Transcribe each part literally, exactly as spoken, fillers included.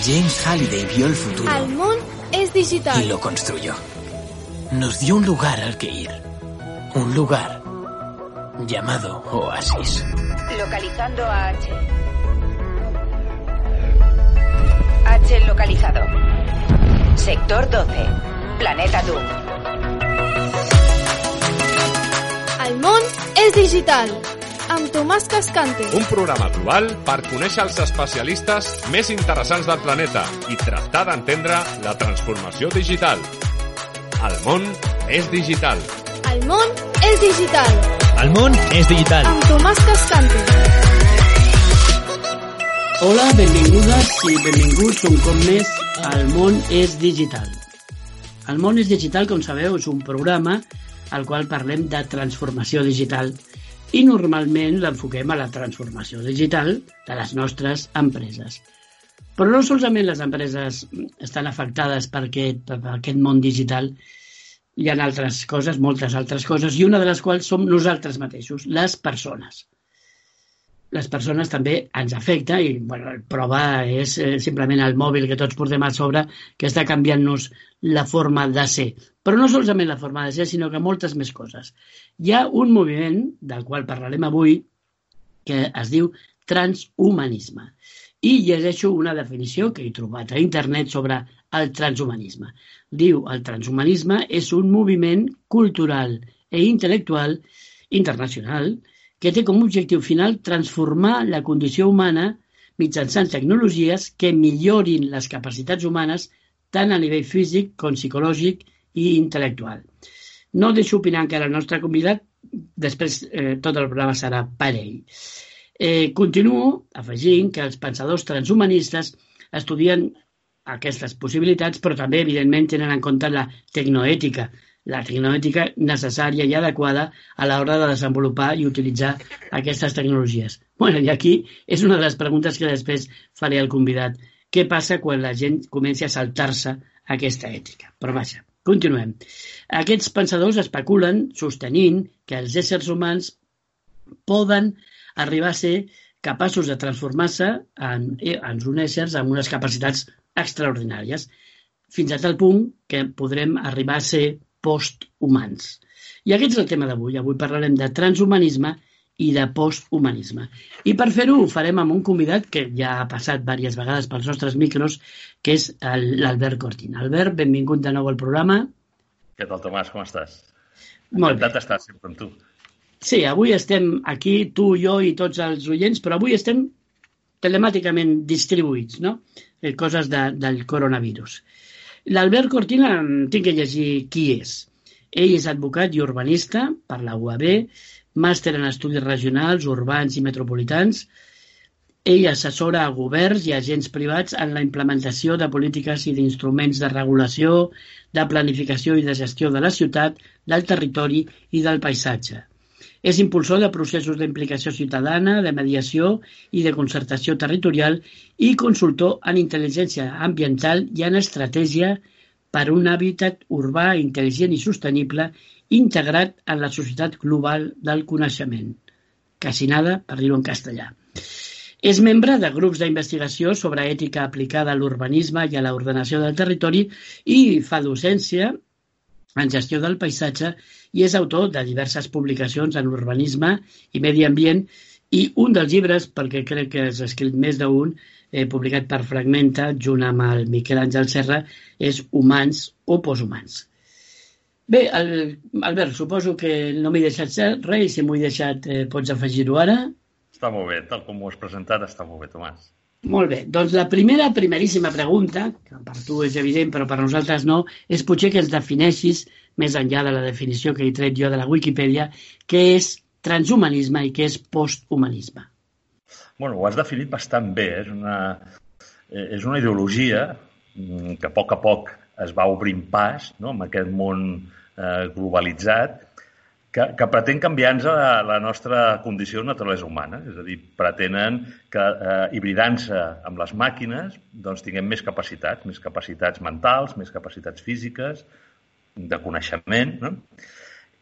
James Halliday vio el futuro. El món es digital. Y lo construyó. Nos dio un lugar al que ir. Un lugar llamado Oasis. Localizando a H. H localizado. Sector doce. Planeta Doom. El món és digital. Amb Tomàs Cascante. Un programa global per conèixer els especialistes més interessants del planeta i tractar d'entendre la transformació digital. El món és digital. El món és digital. El món és digital. Amb Tomàs Cascante. Hola, benvingudes i benvinguts un cop més al món és digital. El món és digital, com sabeu, és un programa al qual parlem de transformació digital i normalment l'enfoquem a la transformació digital de les nostres empreses. Però no solament les empreses estan afectades per aquest, per aquest món digital, hi ha altres coses, moltes altres coses, i una de les quals som nosaltres mateixos, les persones. Les persones també ens afecta i bueno, la prova és eh, simplement el mòbil que tots portem a sobre que està canviant-nos la forma de ser. Però no solament la forma de ser, sinó que moltes més coses. Hi ha un moviment, del qual parlarem avui, que es diu transhumanisme. I llegeixo una definició que he trobat a internet sobre el transhumanisme. Diu, el transhumanisme és un moviment cultural i intel·lectual internacional que té com a objectiu final transformar la condició humana mitjançant tecnologies que millorin les capacitats humanes tant a nivell físic com psicològic i intel·lectual. No deixo opinar encara el nostre convidat, després eh, tot el programa serà per ell. Eh, continuo afegint que els pensadors transhumanistes estudien aquestes possibilitats, però també, evidentment, tenen en compte la tecnoètica, la tecnoètica necessària i adequada a l'hora de desenvolupar i utilitzar aquestes tecnologies. Bueno, i aquí és una de les preguntes que després faré al convidat. Què passa quan la gent comenci a saltar-se aquesta ètica? Però vaja, continuem. Aquests pensadors especulen sostenint que els éssers humans poden arribar a ser capaços de transformar-se en, en uns éssers amb unes capacitats extraordinàries, fins a tal punt que podrem arribar a ser posthumans. I aquest és el tema d'avui. Avui parlarem de transhumanisme i de posthumanisme. I per fer-ho ho farem amb un convidat que ja ha passat diverses vegades pels nostres micros, que és l'Albert Cortin. Albert, benvingut de nou al programa. Què tal, Tomàs? Com estàs? Molt bé. Encantat d'estar sempre amb tu. Sí, avui estem aquí, tu, jo i tots els oients, però avui estem telemàticament distribuïts, no? Eh, coses de, del coronavirus. L'Albert Cortin, tinc que llegir qui és. Ell és advocat i urbanista per la U A B, màster en estudis regionals, urbans i metropolitans. Ell assessora a governs i agents privats en la implementació de polítiques i d'instruments de regulació, de planificació i de gestió de la ciutat, del territori i del paisatge. És impulsor de processos d'implicació ciutadana, de mediació i de concertació territorial i consultor en intel·ligència ambiental i en estratègia per un hàbitat urbà intel·ligent i sostenible integrat en la societat global del coneixement. Quasi nada, per dir-ho en castellà. És membre de grups d'investigació sobre ètica aplicada a l'urbanisme i a l'ordenació del territori i fa docència en gestió del paisatge i és autor de diverses publicacions en urbanisme i medi ambient i un dels llibres, perquè crec que has escrit més d'un, eh, publicat per Fragmenta, junt amb el Miquel Àngel Serra, és Humans o Posthumans. Bé, el, Albert, suposo que no m'he deixat res i si m'ho he deixat eh, pots afegir-ho ara. Està molt bé, tal com ho has presentat, està molt bé, Tomàs. Molt bé, doncs la primera, primeríssima pregunta, que per tu és evident però per nosaltres no, és potser que ens defineixis, més enllà de la definició que he tret jo de la Wikipedia, què és transhumanisme i què és posthumanisme. Bueno, ho has definit bastant bé. És una, és una ideologia que a poc a poc es va obrint pas, no?, amb aquest món eh, globalitzat, que, que pretén canviar-nos la, la nostra condició de naturalesa humana. És a dir, pretenen que, eh, hibridant-se amb les màquines, doncs tinguem més capacitats, més capacitats mentals, més capacitats físiques, de coneixement, no?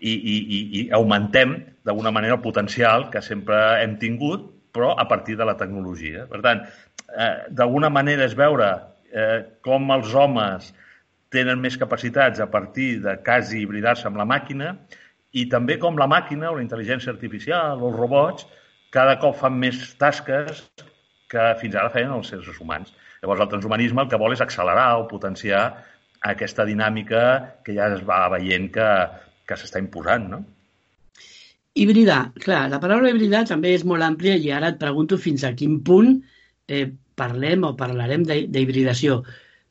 I, i, i augmentem d'alguna manera el potencial que sempre hem tingut, però a partir de la tecnologia. Per tant, eh, d'alguna manera és veure eh, com els homes tenen més capacitats a partir de quasi hibridar-se amb la màquina i també com la màquina o la intel·ligència artificial o els robots cada cop fan més tasques que fins ara feien els éssers humans. Llavors, el transhumanisme el que vol és accelerar o potenciar aquesta dinàmica que ja es va veient que, que s'està imposant, no? Hibridar. Clar, la paraula hibridar també és molt àmplia i ara et pregunto fins a quin punt eh, parlem o parlarem d'hibridació.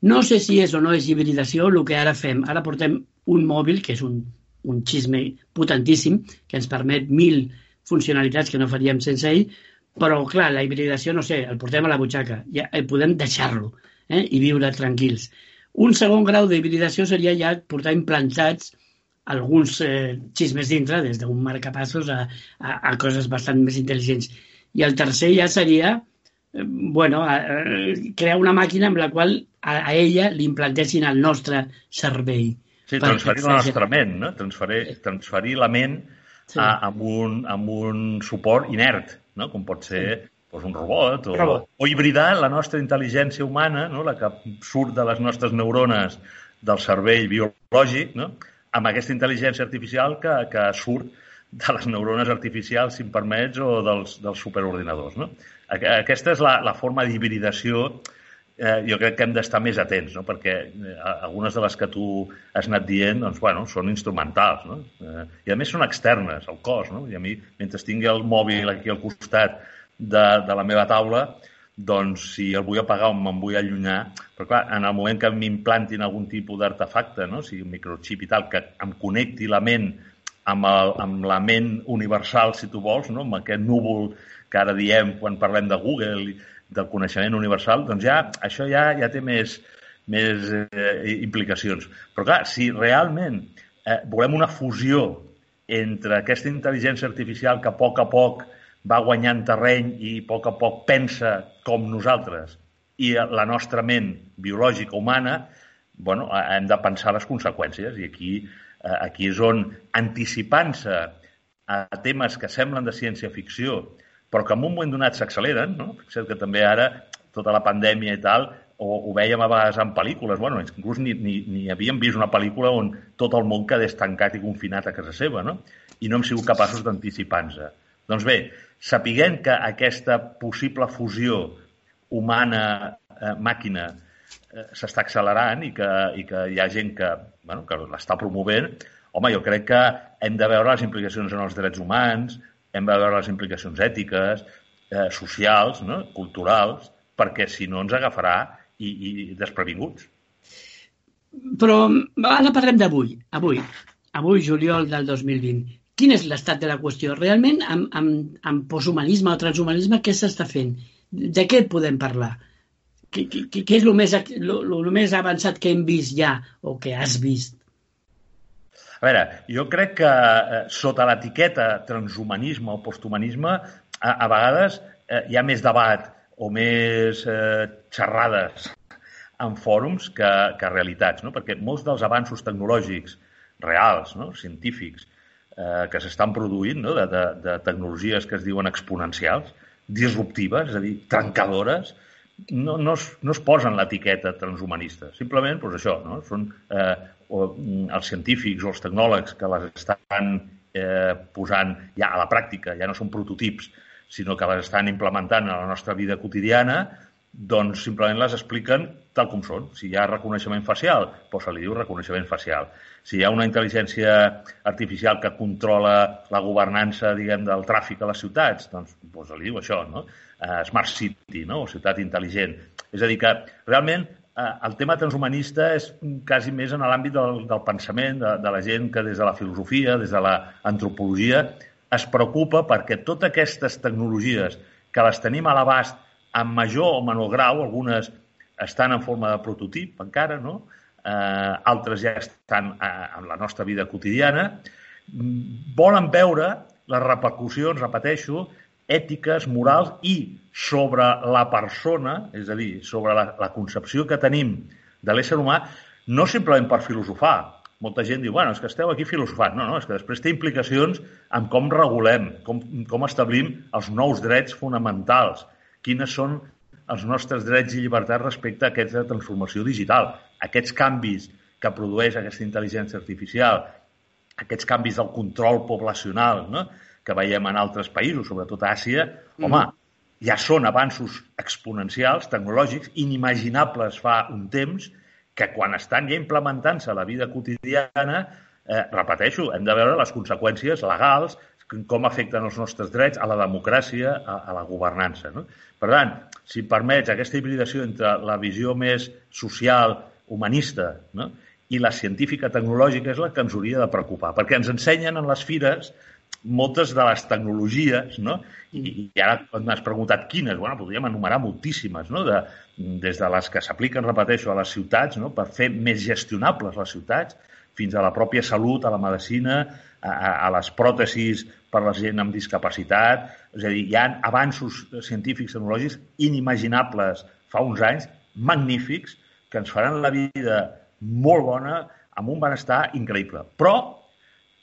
No sé si és o no és hibridació el que ara fem. Ara portem un mòbil, que és un, un xisme potentíssim, que ens permet mil funcionalitats que no faríem sense ell, però, clar, la hibridació, no sé, el portem a la butxaca, ja podem deixar-lo eh, i viure tranquils. Un segon grau d'hibridació seria ja portar implantats alguns eh, xismes dintre, des d'un marcapassos a, a, a coses bastant més intel·ligents. I el tercer ja seria eh, bueno, a, a, crear una màquina amb la qual a, a ella li implantessin el nostre cervell. Sí, transferir la nostra ment, no? Transferir, transferir la ment sí. a, amb, un, amb un suport inert, no? Com pot ser sí. doncs un robot, o, robot, o hibridar la nostra intel·ligència humana, no? La que surt de les nostres neurones del cervell biològic, no? Amb aquesta intel·ligència artificial que, que surt de les neurones artificials, si em permets, o dels, dels superordinadors, no? Aquesta és la, la forma d'hibridació. Eh, jo crec que hem d'estar més atents, no? Perquè eh, algunes de les que tu has anat dient doncs, bueno, són instrumentals, no? Eh, I a més són externes al cos, no? I a mi, mentre tingui el mòbil aquí al costat de, de la meva taula, doncs si el vull apagar o me'n vull allunyar, però clar, en el moment que m'implantin algun tipus d'artefacte, no? O sigui, un microxip i tal, que em connecti la ment amb, el, amb la ment universal, si tu vols, no? Amb aquest núvol que ara diem quan parlem de Google, del coneixement universal, doncs ja, això ja, ja té més, més eh, implicacions. Però clar, si realment eh, volem una fusió entre aquesta intel·ligència artificial que a poc a poc va guanyant terreny i a poc a poc pensa com nosaltres i la nostra ment biològica humana, bueno, hem de pensar les conseqüències i aquí, eh, aquí és on anticipant-se a temes que semblen de ciència-ficció però que en un moment donat s'acceleren, no? Fixa't que també ara, tota la pandèmia i tal, o ho vèiem a vegades en pel·lícules, bueno, inclús ni, ni, ni havíem vist una pel·lícula on tot el món quedés tancat i confinat a casa seva, no? I no hem sigut capaços d'anticipar-nos. Doncs bé, sapiguem que aquesta possible fusió humana-màquina eh, s'està accelerant i que, i que hi ha gent que, bueno, que l'està promovent, home, jo crec que hem de veure les implicacions en els drets humans, hem de veure les implicacions ètiques, eh, socials, no? Culturals, perquè si no ens agafarà i, i desprevinguts. Però ara parlem d'avui, avui, avui, juliol del dos mil vint. Quin és l'estat de la qüestió? Realment, amb, amb, amb posthumanisme o transhumanisme, què s'està fent? De què podem parlar? Què, què, què és el més, el més avançat que hem vist ja o que has vist? A veure, jo crec que eh, sota l'etiqueta transhumanisme o posthumanisme a, a vegades eh, hi ha més debat o més eh, xerrades en fòrums que, que realitats, no? Perquè molts dels avanços tecnològics reals, no? Científics, eh, que s'estan produint, no? de, de, de tecnologies que es diuen exponencials, disruptives, és a dir, trencadores, no, no, es, no es posen l'etiqueta transhumanista. Simplement, doncs això, no? Són eh, o, els científics o els tecnòlegs que les estan eh, posant ja a la pràctica, ja no són prototips, sinó que les estan implementant a la nostra vida quotidiana, doncs simplement les expliquen tal com són. Si hi ha reconeixement facial, doncs se li diu reconeixement facial. Si hi ha una intel·ligència artificial que controla la governança, diguem, del tràfic a les ciutats, doncs, doncs se li diu això, no? Uh, Smart City, no? O ciutat intel·ligent. És a dir, que realment uh, el tema transhumanista és quasi més en l'àmbit del, del pensament, de, de la gent que des de la filosofia, des de l'antropologia, es preocupa perquè totes aquestes tecnologies que les tenim a l'abast en major o menor grau, algunes estan en forma de prototip encara, no? Eh, altres ja estan eh, en la nostra vida quotidiana, volen veure les repercussions, repeteixo, ètiques, morals i sobre la persona, és a dir, sobre la, la concepció que tenim de l'ésser humà, no simplement per filosofar. Molta gent diu, bueno, és que esteu aquí filosofant. No, no, és que després té implicacions en com regulem, com, com establim els nous drets fonamentals, quines són els nostres drets i llibertats respecte a aquesta transformació digital. Aquests canvis que produeix aquesta intel·ligència artificial, aquests canvis del control poblacional, no?, que veiem en altres països, sobretot a Àsia, mm. home, ja són avanços exponencials, tecnològics, inimaginables fa un temps, que quan estan ja implementant-se a la vida quotidiana, eh, repeteixo, hem de veure les conseqüències legals, com afecten els nostres drets, a la democràcia, a, a la governança, no? Per tant, si permets aquesta hibridació entre la visió més social, humanista, no?, i la científica tecnològica és la que ens hauria de preocupar, perquè ens ensenyen en les fires moltes de les tecnologies, no? I, i ara m'has preguntat quines, bueno, podríem enumerar moltíssimes, no? De, des de les que s'apliquen, repeteixo, a les ciutats, no?, per fer més gestionables les ciutats, fins a la pròpia salut, a la medicina, a, a les pròtesis per a la gent amb discapacitat. És a dir, hi ha avanços científics tecnològics inimaginables fa uns anys, magnífics, que ens faran la vida molt bona, amb un benestar increïble. Però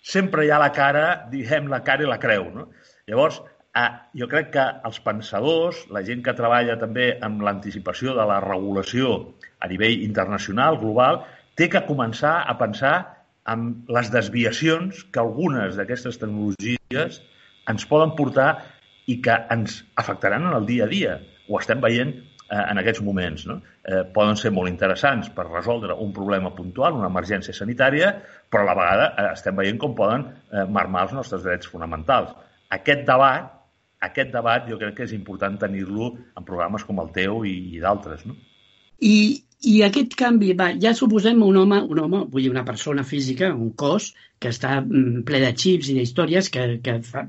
sempre hi ha la cara, diguem, la cara i la creu, no? Llavors, eh, jo crec que els pensadors, la gent que treballa també amb l'anticipació de la regulació a nivell internacional, global, té que començar a pensar en les desviacions que algunes d'aquestes tecnologies ens poden portar i que ens afectaran en el dia a dia. Ho estem veient en aquests moments, no? Eh, poden ser molt interessants per resoldre un problema puntual, una emergència sanitària, però a la vegada eh, estem veient com poden eh, marmar els nostres drets fonamentals. Aquest debat, aquest debat jo crec que és important tenir-lo en programes com el teu i, i d'altres, no? I, I aquest canvi, va, ja suposem un home, un home, vull dir una persona física, un cos, que està ple de xips i d'històries que, que fa,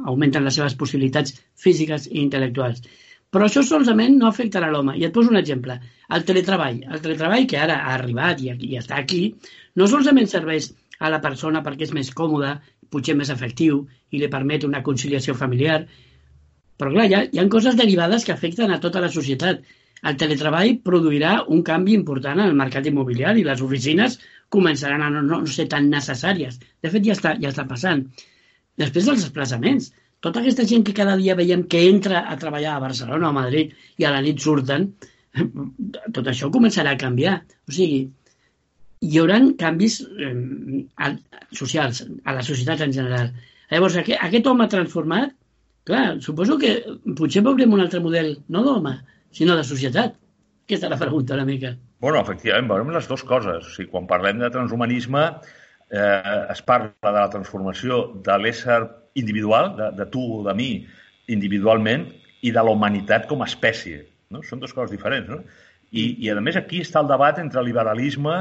augmenten les seves possibilitats físiques i intel·lectuals. Però això solament no afectarà l'home. I et poso un exemple. El teletreball. El teletreball, que ara ha arribat i, i està aquí, no solament serveix a la persona perquè és més còmode, potser més efectiu i li permet una conciliació familiar, però clar, hi ha, hi ha coses derivades que afecten a tota la societat. El teletreball produirà un canvi important en el mercat immobiliari. Les oficines començaran a no, no ser tan necessàries. De fet, ja està, ja està passant. Després dels desplaçaments. Tota aquesta gent que cada dia veiem que entra a treballar a Barcelona o a Madrid i a la nit surten, tot això començarà a canviar. O sigui, hi haurà canvis eh, socials a la societat en general. Llavors, aquest, aquest home transformat, clar, suposo que potser veurem un altre model, no d'home, sinó de societat. Aquesta és la pregunta una mica. Bueno, efectivament, veurem les dues coses. O sigui, quan parlem de transhumanisme, eh, es parla de la transformació de l'ésser individual, de, de tu o de mi, individualment, i de la humanitat com a espècie. No? Són dues coses diferents. No? I, I, a més, aquí està el debat entre liberalisme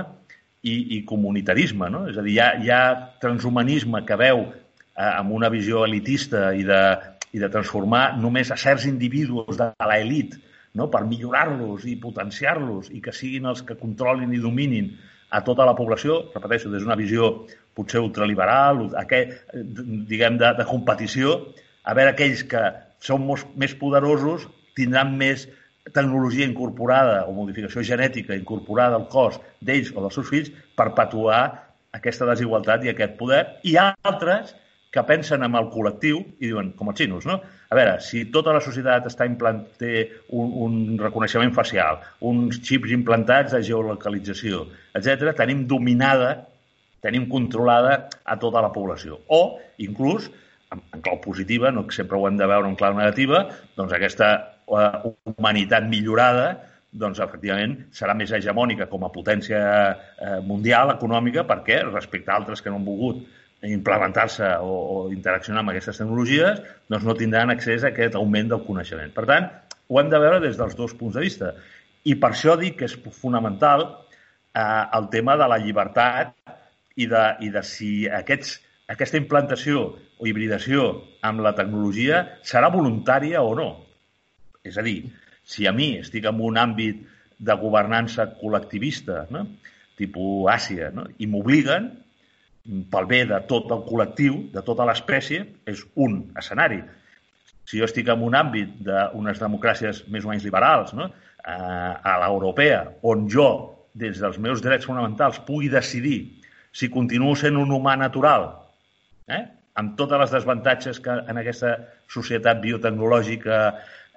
i, i comunitarisme. No? És a dir, hi ha, hi ha transhumanisme que veu eh, amb una visió elitista i de, i de transformar només a certs individus de l'elit, no? Per millorar-los i potenciar-los i que siguin els que controlin i dominin a tota la població, repeteixo, des d'una visió potser ultraliberal, aquest, diguem, de, de competició, a veure aquells que són més poderosos tindran més tecnologia incorporada o modificació genètica incorporada al cos d'ells o dels seus fills per perpetuar aquesta desigualtat i aquest poder. I altres que pensen en el col·lectiu i diuen, com els xinos, no? A veure, si tota la societat està implant... té un, un reconeixement facial, uns xips implantats de geolocalització, etcètera, tenim dominada, tenim controlada a tota la població. O, inclús, en, en clau positiva, no que sempre ho hem de veure en clau negativa, doncs aquesta uh, humanitat millorada, doncs, efectivament, serà més hegemònica com a potència uh, mundial, econòmica, perquè respecte a altres que no han volgut implementar-se o, o interaccionar amb aquestes tecnologies, doncs no tindran accés a aquest augment del coneixement. Per tant, ho hem de veure des dels dos punts de vista. I per això dic que és fonamental eh, el tema de la llibertat i de, i de si aquests, aquesta implantació o hibridació amb la tecnologia serà voluntària o no. És a dir, si a mi estic en un àmbit de governança col·lectivista, no? Tipus Àsia, no? I m'obliguen, pel bé de tot el col·lectiu, de tota l'espècie, és un escenari. Si jo estic en un àmbit d'unes democràcies més o menys liberals, no? A l'europea, on jo, des dels meus drets fonamentals, pugui decidir si continuo sent un humà natural, eh? Amb totes les desavantatges que en aquesta societat biotecnològica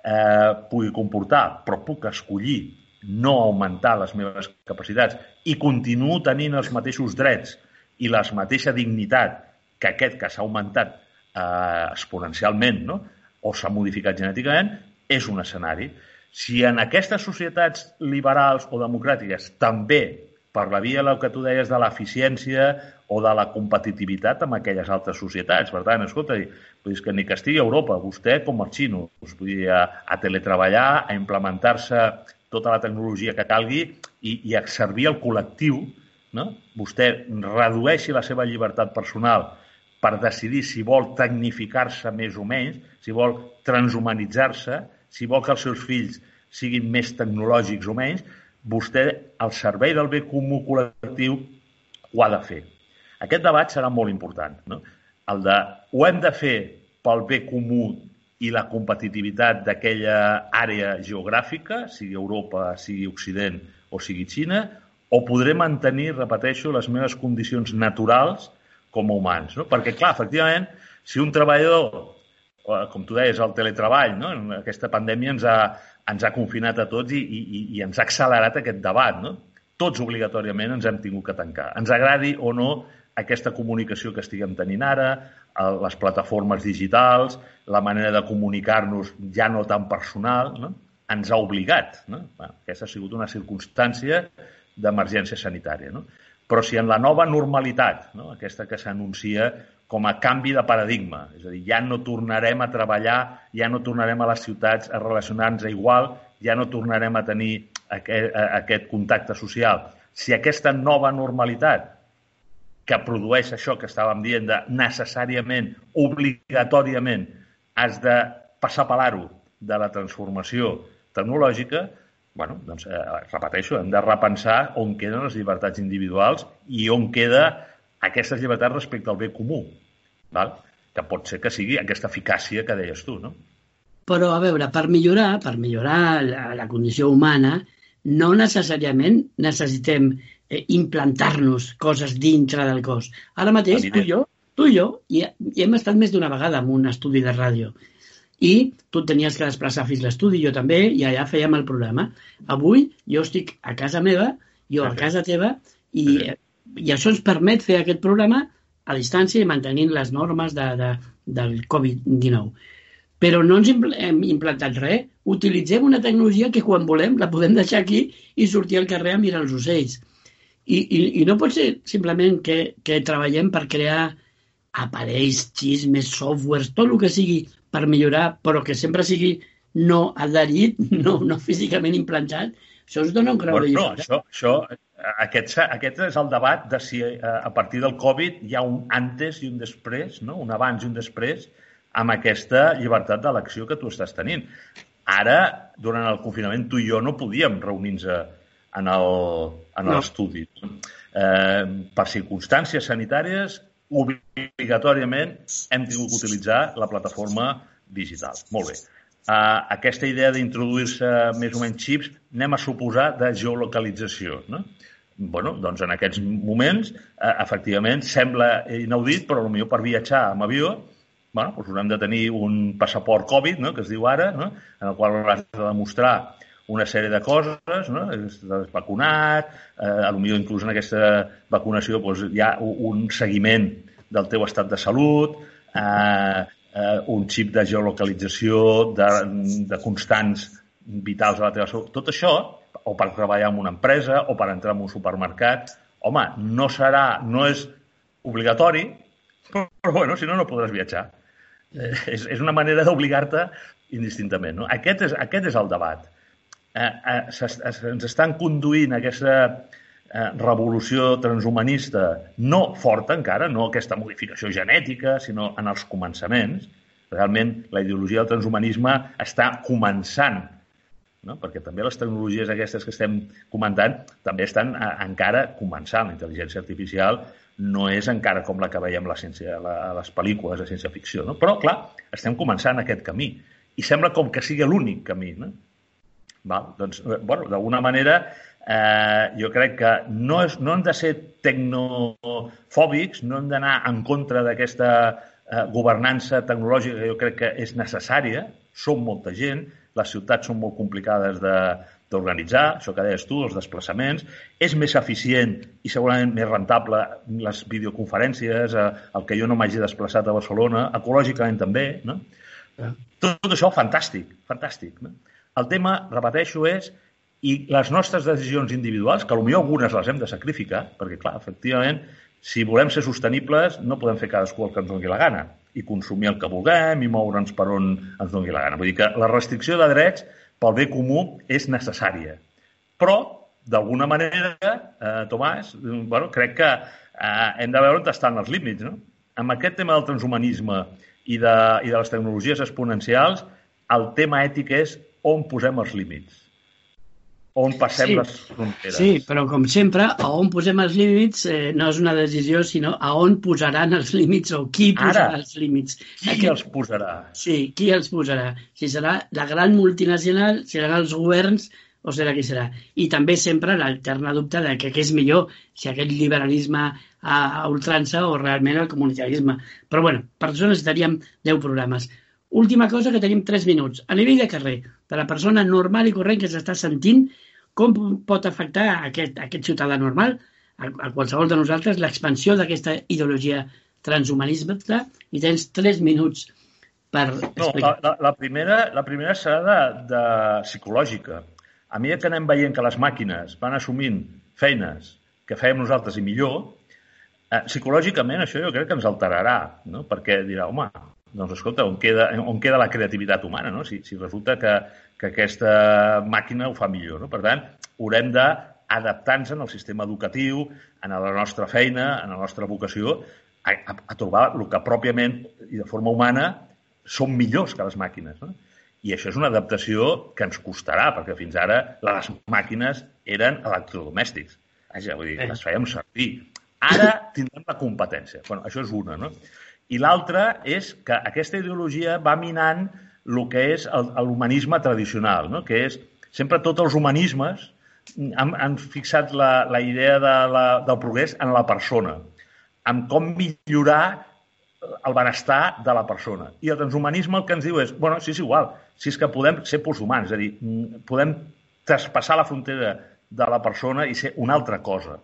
eh, pugui comportar, però puc escollir no augmentar les meves capacitats i continuo tenint els mateixos drets i la mateixa dignitat que aquest que s'ha augmentat eh, exponencialment, no? O s'ha modificat genèticament, és un escenari. Si en aquestes societats liberals o democràtiques també per la via del que tu deies de l'eficiència o de la competitivitat amb aquelles altres societats. Per tant, escolta, és que ni que estigui a Europa, vostè com els xinos, vull dir, a, a teletreballar, a implementar-se tota la tecnologia que calgui i, i a servir al col·lectiu, no? Vostè redueixi la seva llibertat personal per decidir si vol tecnificar-se més o menys, si vol transhumanitzar-se, si vol que els seus fills siguin més tecnològics o menys, vostè, al servei del bé comú col·lectiu, ho ha de fer. Aquest debat serà molt important, no? El de, ho hem de fer pel bé comú i la competitivitat d'aquella àrea geogràfica, sigui Europa, sigui Occident o sigui Xina, o podré mantenir, repeteixo, les meves condicions naturals com a humans, no? Perquè, clar, efectivament, si un treballador, com tu deies, el teletreball, no? Aquesta pandèmia ens ha, ens ha confinat a tots i, i, i ens ha accelerat aquest debat, no? Tots obligatòriament ens hem tingut que tancar. Ens agradi o no aquesta comunicació que estiguem tenint ara, les plataformes digitals, la manera de comunicar-nos ja no tan personal, no? Ens ha obligat, no? Bueno, aquesta ha sigut una circumstància d'emergència sanitària, no? Però si en la nova normalitat, no? Aquesta que s'anuncia com a canvi de paradigma, és a dir, ja no tornarem a treballar, ja no tornarem a les ciutats a relacionar-nos igual, ja no tornarem a tenir aquest, aquest contacte social. Si aquesta nova normalitat que produeix això que estàvem dient de necessàriament, obligatòriament, has de passar per l'aro de la transformació tecnològica, bueno, doncs, eh, repeteixo, hem de repensar on queden les llibertats individuals i on queda aquestes llibertats respecte al bé comú, val? Que pot ser que sigui aquesta eficàcia que deies tu, no? Però, a veure, per millorar, per millorar la, la condició humana, no necessàriament necessitem eh, implantar-nos coses dintre del cos. Ara mateix, tu i jo, tu i jo, i, i hem estat més d'una vegada en un estudi de ràdio. I tu tenies que desplaçar fins l'estudi, jo també, i allà fèiem el programa. Avui jo estic a casa meva, jo a casa teva, i, i això ens permet fer aquest programa a distància i mantenint les normes de, de, del covid dinou. Però no ens hem implantat res. Utilitzem una tecnologia que quan volem la podem deixar aquí i sortir al carrer a mirar els ocells. I, i, i no pot ser simplement que, que treballem per crear aparells, xismes, softwares, tot el que sigui per millorar, però que sempre sigui no adherit, no, no físicament implantat. Això ens dona un grau de llibertat. No, això, això, aquest, aquest és el debat de si a partir del Covid hi ha un antes i un després, no? Un abans i un després, amb aquesta llibertat d'elecció que tu estàs tenint. Ara, durant el confinament, tu i jo no podíem reunir-nos en l'estudi. No. Eh, per circumstàncies sanitàries, obligatòriament hem tingut que utilitzar la plataforma digital. Molt bé. Uh, aquesta idea d'introduir-se més o menys xips, anem a suposar de geolocalització, no? Bueno, doncs en aquests moments, uh, efectivament, sembla inaudit, però potser per viatjar amb avió, bueno, doncs haurem de tenir un passaport Covid, no?, que es diu ara, no?, en el qual hauràs de demostrar una sèrie de coses, no?, estàs vacunat, eh, potser inclús en aquesta vacunació doncs, hi ha un seguiment del teu estat de salut, eh, eh, un xip de geolocalització, de, de constants vitals a la teva salut. Tot això, o per treballar en una empresa, o per entrar en un supermercat, home, no serà, no és obligatori, però, però bueno, si no, no podràs viatjar. Eh, és, és una manera d'obligar-te indistintament, no? Aquest és, aquest és el debat. Eh, eh, ens estan conduint a aquesta eh, revolució transhumanista no forta encara, no aquesta modificació genètica, sinó en els començaments. Realment, la ideologia del transhumanisme està començant, no? Perquè també les tecnologies aquestes que estem comentant també estan a, encara començant. La intel·ligència artificial no és encara com la que veiem la ciència, la, a les pel·lícules de ciència-ficció, no? Però, clar, estem començant aquest camí. I sembla com que sigui l'únic camí, no? Val? Doncs, bueno, d'alguna manera, eh, jo crec que no, és, no hem de ser tecnofòbics, no hem d'anar en contra d'aquesta eh, governança tecnològica que jo crec que és necessària, som molta gent, les ciutats són molt complicades de, d'organitzar, això que deies tu, els desplaçaments, és més eficient i segurament més rentable les videoconferències, el que jo no m'hagi desplaçat a Barcelona, ecològicament també, no? Ja. Tot, tot això, fantàstic, fantàstic. No? El tema, repeteixo, és i les nostres decisions individuals, que potser algunes les hem de sacrificar, perquè, clar, efectivament, si volem ser sostenibles, no podem fer cadascú el que ens doni la gana i consumir el que vulguem i moure'ns per on ens doni la gana. Vull dir que la restricció de drets pel bé comú és necessària. Però, d'alguna manera, eh, Tomàs, bueno, crec que eh, hem de veure on estan els límits. No? Amb aquest tema del transhumanisme i de, i de les tecnologies exponencials, el tema ètic és on posem els límits. On passem sí, les fronteres. Sí, però com sempre, a on posem els límits eh, no és una decisió, sinó a on posaran els límits o qui posarà Ara, els límits. Qui Aquest... els posarà? Sí, qui els posarà. Si serà la gran multinacional, seran els governs o serà qui serà. I també sempre l'alterna dubte de que què és millor, si aquest liberalisme a, a ultrança o realment el comunitarisme. Però, bueno, per això necessitaríem deu programes. Última cosa, que tenim tres minuts. A nivell de carrer, de la persona normal i corrent que s'està sentint, com pot afectar a aquest, a aquest ciutadà normal, a, a qualsevol de nosaltres, l'expansió d'aquesta ideologia transhumanista? I tens tres minuts per explicar. No, la, la, primera, la primera serà de, de psicològica. A mesura que anem veient que les màquines van assumint feines que fèiem nosaltres i millor, eh, psicològicament això jo crec que ens alterarà, no? Perquè dirà, home, doncs escolta, on queda, on queda la creativitat humana, no? Si, si resulta que que aquesta màquina ho fa millor. No? Per tant, haurem d'adaptar-nos en el sistema educatiu, en la nostra feina, en la nostra vocació, a, a, a trobar el que pròpiament i de forma humana són millors que les màquines. No? I això és una adaptació que ens costarà, perquè fins ara les màquines eren electrodomèstics. Vaja, vull dir, les fèiem servir. Ara tindrem la competència. Bueno, això és una, no? I l'altra és que aquesta ideologia va minant el que és l'humanisme tradicional, no? Que és, sempre tots els humanismes han, han fixat la, la idea de la, del progrés en la persona, en com millorar el benestar de la persona. I el transhumanisme el que ens diu és, bueno, sí, és igual, si és que podem ser poshumans, és a dir, podem traspassar la frontera de la persona i ser una altra cosa.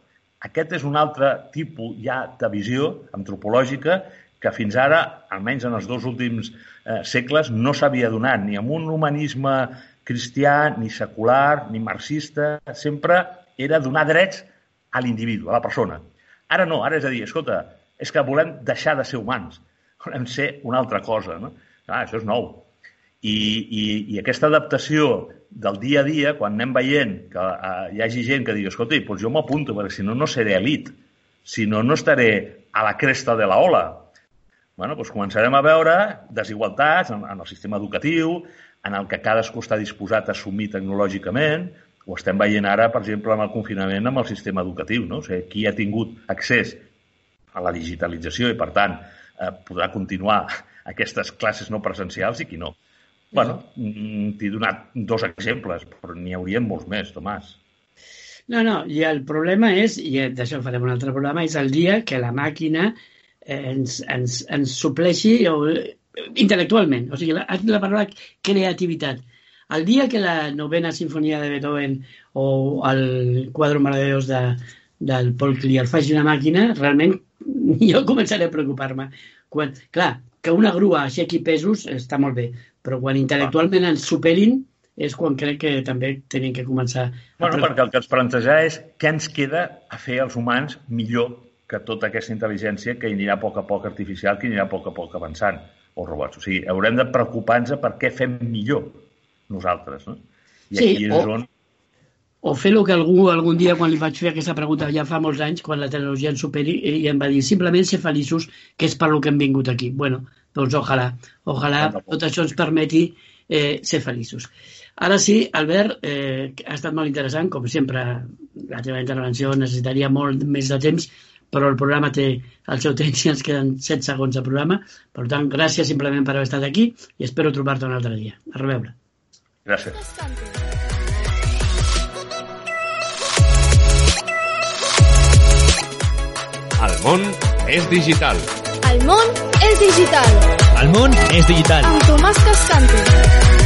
Aquest és un altre tipus ja de visió antropològica que fins ara, almenys en els dos últims eh, segles, no s'havia donat ni amb un humanisme cristià, ni secular, ni marxista. Sempre era donar drets a l'individu, a la persona. Ara no, ara és a dir, escolta, és que volem deixar de ser humans, volem ser una altra cosa. No? Ah, això és nou. I, i, i aquesta adaptació del dia a dia, quan anem veient que eh, hi hagi gent que digui, escolta, doncs jo m'apunto, perquè si no, no seré elit, si no, no estaré a la cresta de la ola. Bueno, doncs començarem a veure desigualtats en, en el sistema educatiu, en el que cadascú està disposat a assumir tecnològicament. Ho estem veient ara, per exemple, amb el confinament amb el sistema educatiu. No? O sigui, qui ha tingut accés a la digitalització i, per tant, eh, podrà continuar aquestes classes no presencials i qui no. Bueno, t'he donat dos exemples, però n'hi haurien molts més, Tomàs. No, no, i el problema és, i d'això farem un altre programa, és el dia que la màquina ens, ens, ens supleixi o, intel·lectualment, o sigui, la, la paraula creativitat. El dia que la novena sinfonia de Beethoven o el quadre meravellós de, del Paul Klee el faci una màquina, realment jo començaré a preocupar-me. Quan, clar, que una grua aixequi pesos està molt bé, però quan intel·lectualment ens superin és quan crec que també tenim que començar... Bueno, perquè el que ens planteja és què ens queda a fer els humans millor que tota aquesta intel·ligència que anirà a poc a poc artificial, que anirà a poc a poc avançant, o robots. O sigui, haurem de preocupar-nos per què fem millor nosaltres, no? I sí, aquí és o, on... o fer el que algú algun dia, quan li vaig fer aquesta pregunta ja fa molts anys, quan la tecnologia ens superi, i em va dir simplement ser feliços, que és per lo que hem vingut aquí. Bueno, doncs ojalà, ojalà tot això ens permeti eh, ser feliços. Ara sí, Albert, eh, ha estat molt interessant, com sempre la teva intervenció necessitaria molt més de temps, però el programa té el seu temps i ens queden set segons de programa. Per tant, gràcies simplement per haver estat aquí i espero trobar-te un altre dia. A reveure. Gràcies. El món és digital. El món és digital. El món és digital. Amb Tomàs Cascante.